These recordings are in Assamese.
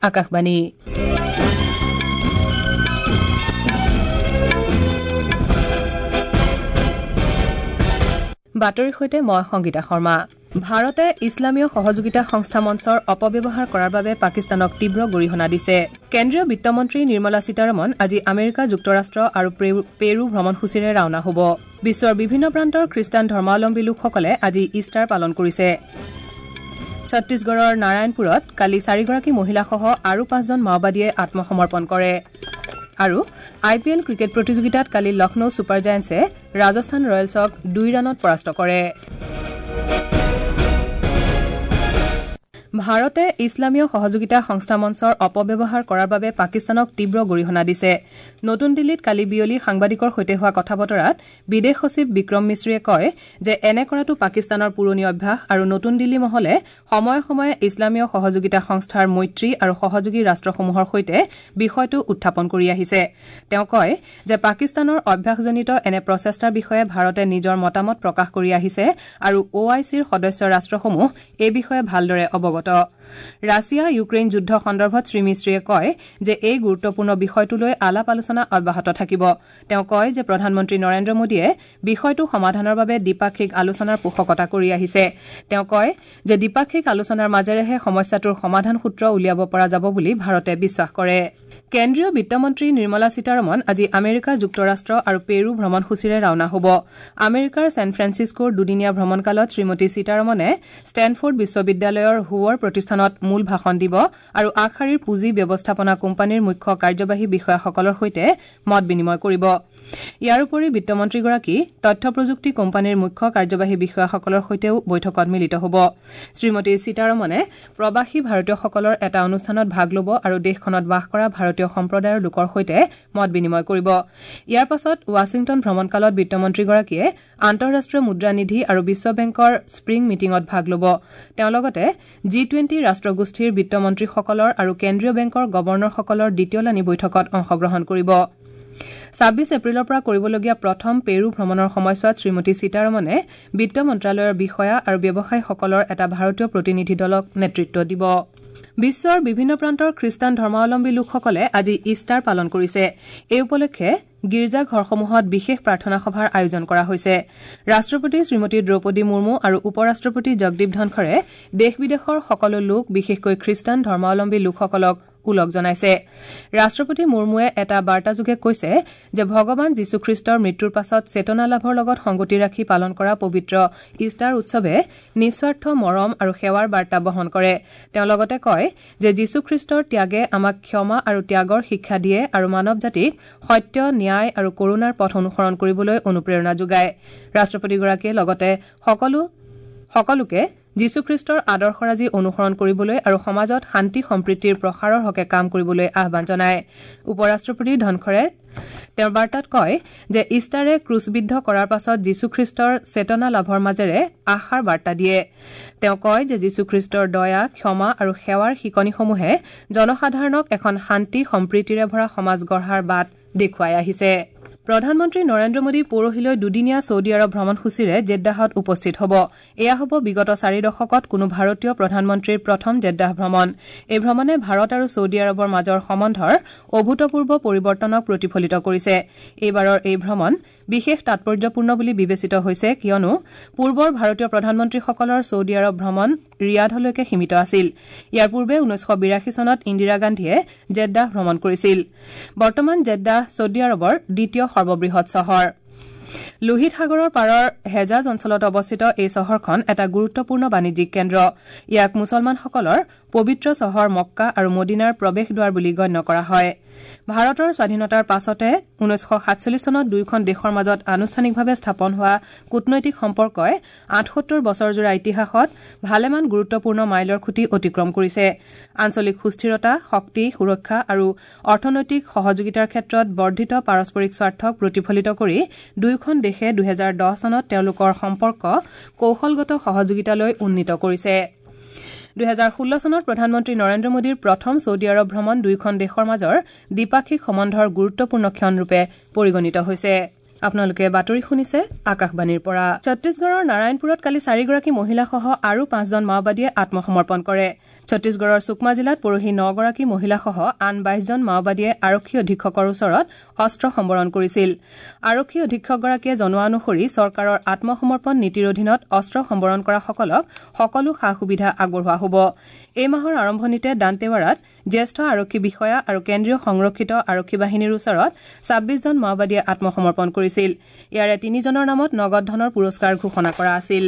আকাশবাণী। বাতৰিৰ সৈতে মই সংগীতা শৰ্মা। ভাৰতে ইছলামীয় সহযোগিতা সংস্থা মঞ্চৰ অপব্যৱহাৰ কৰাৰ বাবে পাকিস্তানক তীব্ৰ গৰিহণা দিছে। কেন্দ্ৰীয় বিত্তমন্ত্ৰী নিৰ্মলা সীতাৰমণ আজি আমেৰিকা যুক্তৰাষ্ট্ৰ আৰু পেৰু ভ্ৰমণসূচীৰে ৰাওনা হ'ব। বিশ্বৰ বিভিন্ন প্ৰান্তৰ খ্ৰীষ্টান ধৰ্মাৱলম্বী লোকসকলে আজি ইষ্টাৰ পালন কৰিছে। ছত্তীশগড়ৰ নাৰায়ণপুৰত কালি 4গৰাকী মহিলাসহ আৰু 5জন মাওবাদীয়ে আত্মসমৰ্পণ কৰে। আৰু আই পি এল ক্ৰিকেট প্ৰতিযোগিতাত কালি লক্ষ্ণৌ ছুপাৰ জায়েণ্টছে ৰাজস্থান ৰয়েলছক 2 ৰানত পৰাস্ত কৰে। ভাৰতে ইছলামীয় সহযোগিতা সংস্থা মঞ্চৰ অপব্যৱহাৰ কৰাৰ বাবে পাকিস্তানক তীব্ৰ গৰিহণা দিছে। নতুন দিল্লীত কালি বিয়লি সাংবাদিকৰ সৈতে হোৱা কথা বতৰাত বিদেশ সচিব বিক্ৰম মিশ্ৰীয়ে কয় যে এনে কৰাটো পাকিস্তানৰ পুৰণি অভ্যাস আৰু নতুন দিল্লী মহলে সময়ে সময়ে ইছলামীয় সহযোগিতা সংস্থাৰ মৈত্ৰী আৰু সহযোগী ৰাষ্ট্ৰসমূহৰ সৈতে বিষয়টো উত্থাপন কৰি আহিছে। তেওঁ কয় যে পাকিস্তানৰ অভ্যাসজনিত এনে প্ৰচেষ্টাৰ বিষয়ে ভাৰতে নিজৰ মতামত প্ৰকাশ কৰি আহিছে আৰু অ আই চিৰ সদস্য ৰাষ্ট্ৰসমূহ এই বিষয়ে ভালদৰে অৱগত। ৰাছিয়া ইউক্ৰেইন যুদ্ধ সন্দৰ্ভত শ্ৰীমিশ্ৰীয়ে কয় যে এই গুৰুত্বপূৰ্ণ বিষয়টোলৈ আলাপ আলোচনা অব্যাহত থাকিব। তেওঁ কয় যে প্ৰধানমন্ত্ৰী নৰেন্দ্ৰ মোদীয়ে বিষয়টো সমাধানৰ বাবে দ্বিপাক্ষিক আলোচনাৰ পোষকতা কৰি আহিছে। তেওঁ কয় যে দ্বিপাক্ষিক আলোচনাৰ মাজেৰেহে সমস্যাটোৰ সমাধান সূত্ৰ উলিয়াব পৰা যাব বুলি ভাৰতে বিশ্বাস কৰে। কেন্দ্ৰীয় বিত্তমন্ত্ৰী নিৰ্মলা সীতাৰমণ আজি আমেৰিকা যুক্তৰাষ্ট্ৰ আৰু পেৰু ভ্ৰমণসূচীৰে ৰাওনা হ'ব। আমেৰিকাৰ ছেন ফ্ৰেন্সিছকোৰ দুদিনীয়া ভ্ৰমণকালত শ্ৰীমতী সীতাৰমণে ষ্টেনফৰ্ড বিশ্ববিদ্যালয়ৰ হুৱৰ প্ৰতিষ্ঠানত মূল ভাষণ দিব আৰু আগশাৰীৰ পুঁজি ব্যৱস্থাপনা কোম্পানীৰ মুখ্য কাৰ্যবাহী বিষয়াসকলৰ সৈতে মত বিনিময় কৰিব। ইয়াৰ উপৰি বিত্তমন্ত্ৰীগৰাকী তথ্য প্ৰযুক্তি কোম্পানীৰ মুখ্য কাৰ্যবাহী বিষয়াসকলৰ সৈতেও বৈঠকত মিলিত হ'ব। শ্ৰীমতী সীতাৰমণে প্ৰৱাসী ভাৰতীয়সকলৰ এটা অনুষ্ঠানত ভাগ ল'ব আৰু দেশখনত বাস কৰা ভাৰতীয় সম্প্ৰদায়ৰ লোকৰ সৈতে মত বিনিময় কৰিব। ইয়াৰ পাছত ৱাশ্বিংটন ভ্ৰমণকালত বিত্তমন্ত্ৰীগৰাকীয়ে আন্তঃৰাষ্ট্ৰীয় মুদ্ৰানিধি আৰু বিশ্ব বেংকৰ স্প্ৰিং মিটিঙত ভাগ ল'ব। তেওঁ লগতে জি-20 ৰাষ্ট্ৰগোষ্ঠীৰ বিত্তমন্ত্ৰীসকলৰ আৰু কেন্দ্ৰীয় বেংকৰ গৱৰ্ণৰসকলৰ দ্বিতীয়লানি বৈঠকত অংশগ্ৰহণ কৰিব। 26 এপ্ৰিলৰ পৰা কৰিবলগীয়া প্ৰথম পেৰু ভ্ৰমণৰ সময়ছোৱাত শ্ৰীমতী সীতাৰমণে বিত্ত মন্ত্ৰালয়ৰ বিষয়া আৰু ব্যৱসায়ীসকলৰ এটা ভাৰতীয় প্ৰতিনিধি দলক নেতৃত্ব দিব। বিশ্বৰ বিভিন্ন প্ৰান্তৰ খ্ৰীষ্টান ধৰ্মাৱলম্বী লোকসকলে আজি ইষ্টাৰ পালন কৰিছে। এই উপলক্ষে গীৰ্জাঘৰসমূহত বিশেষ প্ৰাৰ্থনা সভাৰ আয়োজন কৰা হৈছে। ৰাষ্ট্ৰপতি শ্ৰীমতী দ্ৰৌপদী মুৰ্মু আৰু উপ ৰাষ্ট্ৰপতি জগদীপ ধনখৰে দেশ বিদেশৰ সকলো লোক বিশেষকৈ খ্ৰীষ্টান ধৰ্মাৱলম্বী লোকসকলক ওলগ জনাইছে। ৰাষ্ট্ৰপতি মুৰ্মুৱে এটা বাৰ্তাযোগে কৈছে যে ভগৱান যীশুখ্ৰীষ্টৰ মৃত্যুৰ পাছত চেতনা লাভৰ লগত সংগতি ৰাখি পালন কৰা পবিত্ৰ ইষ্টাৰ উৎসৱে নিস্বাৰ্থ মৰম আৰু সেৱাৰ বাৰ্তা বহন কৰে। তেওঁ লগতে কয় যে যীশুখ্ৰীষ্টৰ ত্যাগে আমাক ক্ষমা আৰু ত্যাগৰ শিক্ষা দিয়ে আৰু মানৱ জাতিক সত্য, ন্যায় আৰু কৰুণাৰ পথ অনুসৰণ কৰিবলৈ অনুপ্ৰেৰণা যোগায়। ৰাষ্ট্ৰপতিগৰাকীয়ে লগতে সকলোকে যীশুখ্ৰীষ্টৰ আদৰ্শৰাজি অনুসৰণ কৰিবলৈ আৰু সমাজত শান্তি সম্প্ৰীতিৰ প্ৰসাৰৰ হকে কাম কৰিবলৈ আহ্বান জনায়। উপ ৰাষ্ট্ৰপতি ধনখৰে তেওঁৰ বাৰ্তাত কয় যে ইষ্টাৰে ক্ৰুচবিদ্ধ কৰাৰ পাছত যীশুখ্ৰীষ্টৰ চেতনা লাভৰ মাজেৰে আশাৰ বাৰ্তা দিয়ে। তেওঁ কয় যে যীশুখ্ৰীষ্টৰ দয়া, ক্ষমা আৰু সেৱাৰ শিকনিসমূহে জনসাধাৰণক এখন শান্তি সম্প্ৰীতিৰে ভৰা সমাজ গঢ়াৰ বাট দেখুৱাই আহিছে। প্ৰধানমন্ত্ৰী নৰেন্দ্ৰ মোদী পৰহিলৈ দুদিনীয়া ছৌদি আৰৱ ভ্ৰমণসূচীৰে জেদ্দাহত উপস্থিত হ'ব। এয়া হ'ব বিগত 4 দশকত কোনো ভাৰতীয় প্ৰধানমন্ত্ৰীৰ প্ৰথম জেদ্দাহ ভ্ৰমণ। এই ভ্ৰমণে ভাৰত আৰু ছৌদি আৰৱৰ মাজৰ সম্বন্ধৰ অভূতপূৰ্ব পৰিৱৰ্তনক প্ৰতিফলিত কৰিছে। এইবাৰৰ এই ভ্ৰমণ বিশেষ তাৎপৰ্যপূৰ্ণ বুলি বিবেচিত হৈছে কিয়নো পূৰ্বৰ ভাৰতীয় প্ৰধানমন্ত্ৰীসকলৰ ছৌদি আৰৱ ভ্ৰমণ ৰিয়াধলৈকে সীমিত আছিল। ইয়াৰ পূৰ্বে 1982 চনত ইন্দিৰা গান্ধীয়ে জেদ্দাহ ভ্ৰমণ কৰিছিল। বৰ্তমান জেদ্দাহ ছৌদি আৰৱৰ দ্বিতীয় সৰ্ববৃহৎ চহৰ। লোহিত সাগৰৰ পাৰৰ হেজাজ অঞ্চলত অৱস্থিত এই চহৰখন এটা গুৰুত্বপূৰ্ণ বাণিজ্যিক কেন্দ্ৰ। ইয়াক মুছলমানসকলৰ পবিত্ৰ চহৰ মক্কা আৰু মদিনাৰ প্ৰৱেশদ্বাৰ বুলি গণ্য কৰা হয়। ভাৰতৰ স্বাধীনতাৰ পাছতে 1947 চনত দুয়োখন দেশৰ মাজত আনুষ্ঠানিকভাৱে স্থাপন হোৱা কূটনৈতিক সম্পৰ্কই 78 বছৰজোৰা ইতিহাসত ভালেমান গুৰুত্বপূৰ্ণ মাইলৰ খুঁটি অতিক্ৰম কৰিছে। আঞ্চলিক সুস্থিৰতা, শক্তি, সুৰক্ষা আৰু অৰ্থনৈতিক সহযোগিতাৰ ক্ষেত্ৰত বৰ্ধিত পাৰস্পৰিক স্বাৰ্থক প্ৰতিফলিত কৰি দুয়োখন দেশে 2010 চনত তেওঁলোকৰ সম্পৰ্ক কৌশলগত সহযোগিতালৈ উন্নীত কৰিছে। 2016 চনত প্ৰধানমন্ত্ৰী নৰেন্দ্ৰ মোদীৰ প্ৰথম ছৌদি আৰৱ ভ্ৰমণ দুয়োখন দেশৰ মাজৰ দ্বিপাক্ষিক সম্বন্ধৰ গুৰুত্বপূৰ্ণ ক্ষণৰূপে পৰিগণিত হৈছে। আপোনালোকে বাতৰি শুনিছে আকাশবাণীৰ পৰা। ছত্তীশগড়ৰ নাৰায়ণপুৰত কালি 4গৰাকী মহিলাসহ আৰু 5জন মাওবাদীয়ে আত্মসমৰ্পণ কৰে। ছত্তীশগড়ৰ সুকমা জিলাত পৰহি ৯গৰাকী মহিলাসহ আন ২২জন মাওবাদীয়ে আৰক্ষী অধীক্ষকৰ ওচৰত অস্ত্ৰ সম্বৰণ কৰিছিল। আৰক্ষী অধীক্ষকগৰাকীয়ে জনোৱা অনুসৰি চৰকাৰৰ আত্মসমৰ্পণ নীতিৰ অধীনত অস্ত্ৰ সম্বৰণ কৰাসকলক সকলো সা সুবিধা আগবঢ়োৱা হ'ব। এই মাহৰ আৰম্ভণিতে দান্তেৱাড়াত জ্যেষ্ঠ আৰক্ষী বিষয়া আৰু কেন্দ্ৰীয় সংৰক্ষিত আৰক্ষী বাহিনীৰ ওচৰত ২৬জন মাওবাদীয়ে আত্মসমৰ্পণ কৰিছিল। ইয়াৰে ৩জনৰ নামত নগদ ধনৰ পুৰস্কাৰ ঘোষণা কৰা আছিল।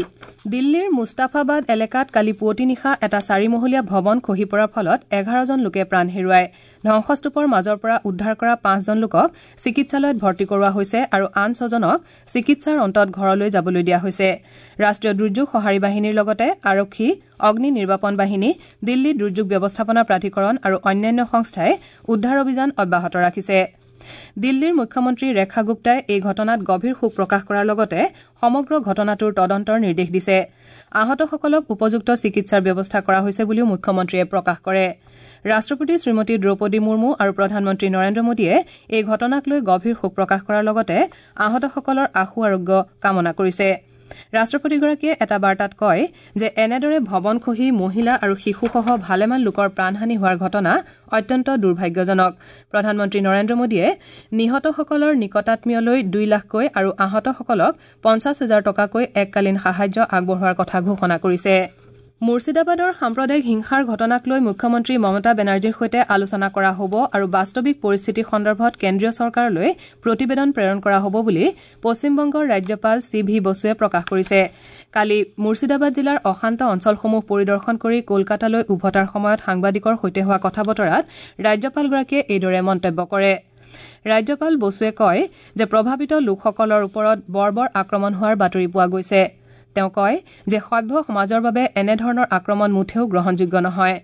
দিল্লীৰ মুস্তাফাবাদ এলেকাত কালি পুৱতি নিশা এটা চাৰিমহলীয়া ভৱন খহি পৰাৰ ফলত ১১জন লোকে প্ৰাণ হেৰুৱায়। ধ্বংসস্তূপৰ মাজৰ পৰা উদ্ধাৰ কৰা ৫জন লোকক চিকিৎসালয়ত ভৰ্তি কৰোৱা হৈছে আৰু আন ৬জনক চিকিৎসাৰ অন্তত ঘৰলৈ যাবলৈ দিয়া হৈছে। ৰাষ্ট্ৰীয় দুৰ্যোগ সঁহাৰি বাহিনীৰ লগতে আৰক্ষী, অগ্নি নিৰ্বাপন বাহিনী, দিল্লী দুৰ্যোগ ব্যৱস্থাপনা প্ৰাধিকৰণ আৰু অন্যান্য সংস্থাই উদ্ধাৰ অভিযান অব্যাহত ৰাখিছে। দিল্লীৰ মুখ্যমন্ত্ৰী ৰেখা গুপ্তাই এই ঘটনাত গভীৰ শোক প্ৰকাশ কৰাৰ লগতে সমগ্ৰ ঘটনাটোৰ তদন্তৰ নিৰ্দেশ দিছে। আহতসকলক উপযুক্ত চিকিৎসাৰ ব্যৱস্থা কৰা হৈছে বুলিও মুখ্যমন্ত্ৰীয়ে প্ৰকাশ কৰে। ৰাষ্ট্ৰপতি শ্ৰীমতী দ্ৰৌপদী মুৰ্মু আৰু প্ৰধানমন্ত্ৰী নৰেন্দ্ৰ মোদীয়ে এই ঘটনাক লৈ গভীৰ শোক প্ৰকাশ কৰাৰ লগতে আহতসকলৰ আশু আৰোগ্য কামনা কৰিছে। ৰাষ্ট্ৰপতিগৰাকীয়ে এটা বাৰ্তাত কয় যে এনেদৰে ভৱন খহি মহিলা আৰু শিশুসহ ভালেমান লোকৰ প্ৰাণহানি হোৱাৰ ঘটনা অত্যন্ত দুৰ্ভাগ্যজনক। প্ৰধানমন্ত্ৰী নৰেন্দ্ৰ মোদীয়ে নিহতসকলৰ নিকটাত্মীয়লৈ ২ লাখকৈ আৰু আহতসকলক ৫০ হাজাৰ টকাকৈ এককালীন সাহায্য আগবঢ়োৱাৰ কথা ঘোষণা কৰিছে। মুৰ্ছিদাবাদৰ সাম্প্ৰদায়িক হিংসাৰ ঘটনাক লৈ মুখ্যমন্ত্ৰী মমতা বেনাৰ্জীৰ সৈতে আলোচনা কৰা হ'ব আৰু বাস্তৱিক পৰিস্থিতি সন্দৰ্ভত কেন্দ্ৰীয় চৰকাৰলৈ প্ৰতিবেদন প্ৰেৰণ কৰা হ'ব বুলি পশ্চিমবংগৰ ৰাজ্যপাল চি ভি বসুৱে প্ৰকাশ কৰিছে। কালি মুৰ্ছিদাবাদ জিলাৰ অশান্ত অঞ্চলসমূহ পৰিদৰ্শন কৰি কলকাতালৈ উভতাৰ সময়ত সাংবাদিকৰ সৈতে হোৱা কথা বতৰাত ৰাজ্যপালগৰাকীয়ে এইদৰে মন্তব্য কৰে। ৰাজ্যপাল বসুৱে কয় যে প্ৰভাৱিত লোকসকলৰ ওপৰত বৰ্বৰ আক্ৰমণ হোৱাৰ বাতৰি পোৱা গৈছে। তেওঁ কয় যে সভ্য সমাজৰ বাবে এনেধৰণৰ আক্ৰমণ মুঠেও গ্ৰহণযোগ্য নহয়।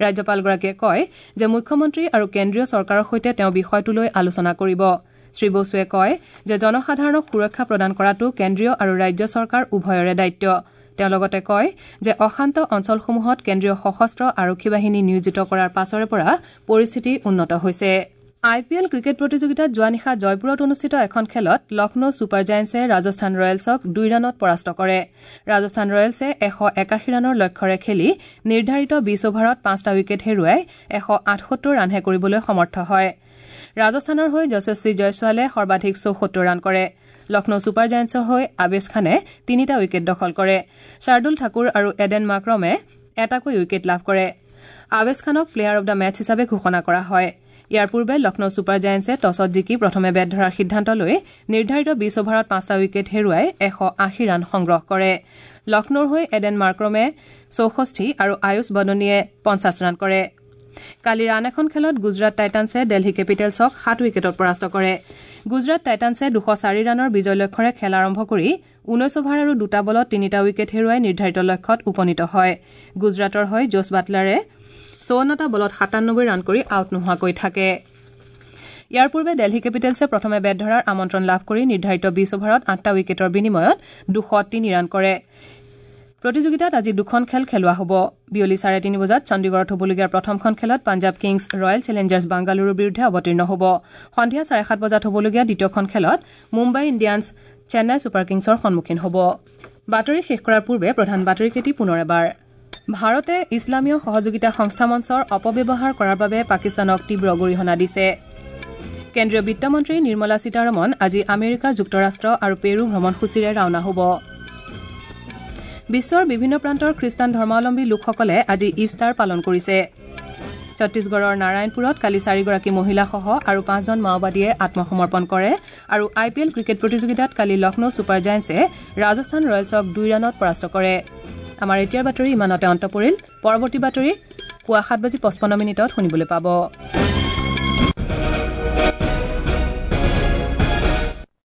ৰাজ্যপালগৰাকীয়ে কয় যে মুখ্যমন্ত্ৰী আৰু কেন্দ্ৰীয় চৰকাৰৰ সৈতে তেওঁ বিষয়টো লৈ আলোচনা কৰিব। শ্ৰী বসুৱে কয় যে জনসাধাৰণক সুৰক্ষা প্ৰদান কৰাটো কেন্দ্ৰীয় আৰু ৰাজ্য চৰকাৰ উভয়ৰে দায়িত্ব। তেওঁ লগতে কয় যে অশান্ত অঞ্চলসমূহত কেন্দ্ৰীয় সশস্ত্ৰ আৰক্ষী বাহিনী নিয়োজিত কৰাৰ পাছৰে পৰা পৰিস্থিতি উন্নত হৈছে। আই পি এল ক্ৰিকেট প্ৰতিযোগিতাত যোৱা নিশা জয়পুৰত অনুষ্ঠিত এখন খেলত লক্ষ্ণৌ ছুপাৰ জায়েণ্টছে ৰাজস্থান ৰয়েলছক ২ ৰানত পৰাস্ত কৰে। ৰাজস্থান ৰয়েলছে ১৮১ ৰানৰ লক্ষ্যৰে খেলি নিৰ্ধাৰিত ২০ অভাৰত ৫টা উইকেট হেৰুৱাই ১৭৮ ৰানহে কৰিবলৈ সমৰ্থ হয়। ৰাজস্থানৰ হৈ যশস্বী জয়ছোৱালে সৰ্বাধিক ৭৪ ৰান কৰে। লক্ষ্ণৌ ছুপাৰ জায়েণ্টছৰ হৈ আবেশ খানে ৩টা উইকেট দখল কৰে। শাৰ্দুল ঠাকুৰ আৰু এডেন মাক্ৰমে এটাকৈ উইকেট লাভ কৰে। আবেশ খানক প্লেয়াৰ অব the match হিচাপে ঘোষণা কৰা হয়। ইয়াৰ পূৰ্বে লক্ষ্ণৌ ছুপাৰ জায়েণ্টছে টছত জিকি প্ৰথমে বেট ধৰাৰ সিদ্ধান্ত লৈ নিৰ্ধাৰিত ২০ অভাৰত ৫টা উইকেট হেৰুৱাই ১৮০ ৰান সংগ্ৰহ কৰে। লক্ষ্ণৌৰ হৈ এডেন মাৰ্ক্ৰমে ৬৪ আৰু আয়ুষ বদনীয়ে ৫০ ৰান কৰে। কালিৰ আন এখন খেলত গুজৰাট টাইটানছে দেলহী কেপিটেলছক ৭ উইকেটত পৰাস্ত কৰে। গুজৰাট টাইটানছে ২০৪ ৰানৰ বিজয় লক্ষ্যৰে খেল আৰম্ভ কৰি ১৯ অভাৰ আৰু ২টা বলত ৩টা উইকেট হেৰুৱাই নিৰ্ধাৰিত লক্ষ্যত উপনীত হয়। গুজৰাটৰ হৈ জছ বাটলাৰে ৫৪টা বলত ৯৭ ৰান কৰি আউট নোহোৱাকৈ থাকে। ইয়াৰ পূৰ্বে দেলহী কেপিটেলছে প্ৰথমে বেট ধৰাৰ আমন্ত্ৰণ লাভ কৰি নিৰ্ধাৰিত ২০ অভাৰত ৮টা উইকেটৰ বিনিময়ত ২০৩ ৰান কৰে। প্ৰতিযোগিতাত আজি দুখন খেল খেলোৱা হ'ব। বিয়লি ৩:৩০ বজাত চণ্ডীগড়ত হ'বলগীয়া প্ৰথমখন খেলত পাঞ্জাৱ কিংছ ৰয়েল চেলেঞ্জাৰ্ছ বাংগালুৰুৰ বিৰুদ্ধে অৱতীৰ্ণ হ'ব। সন্ধিয়া ৭:৩০ বজাত হ'বলগীয়া দ্বিতীয়খন খেলত মুম্বাই ইণ্ডিয়ানছ চেন্নাই ছুপাৰ কিংছৰ সন্মুখীন হ'ব। বাতৰি শেষ কৰাৰ পূৰ্বে প্ৰধান বাতৰিকেইটি পুনৰ এবাৰ। ভাৰতে ইছলামীয় সহযোগিতা সংস্থা মঞ্চৰ অপব্যৱহাৰ কৰাৰ বাবে পাকিস্তানক তীব্ৰ গৰিহণা দিছে। কেন্দ্ৰীয় বিত্তমন্ত্ৰী নিৰ্মলা সীতাৰমণ আজি আমেৰিকা যুক্তৰাষ্ট্ৰ আৰু পেৰু ভ্ৰমণসূচীৰে ৰাওনা হ'ব। বিশ্বৰ বিভিন্ন প্ৰান্তৰ খ্ৰীষ্টান ধৰ্মাৱলম্বী লোকসকলে আজি ইষ্টাৰ পালন কৰিছে। ছত্তীশগড়ৰ নাৰায়ণপুৰত কালি ৪গৰাকী মহিলাসহ আৰু ৫জন মাওবাদীয়ে আত্মসমৰ্পণ কৰে আৰু আই পি এল ক্ৰিকেট প্ৰতিযোগিতাত কালি লক্ষ্ণৌ ছুপাৰ জায়েণ্টছে ৰাজস্থান ৰয়েলছক ২ ৰানত পৰাস্ত কৰে। আমাৰ এতিয়াৰ বাতৰি ইমানতে অন্ত পৰিল। পৰৱৰ্তী বাতৰি পুৱা ৭:৫৫ শুনিবলৈ পাব।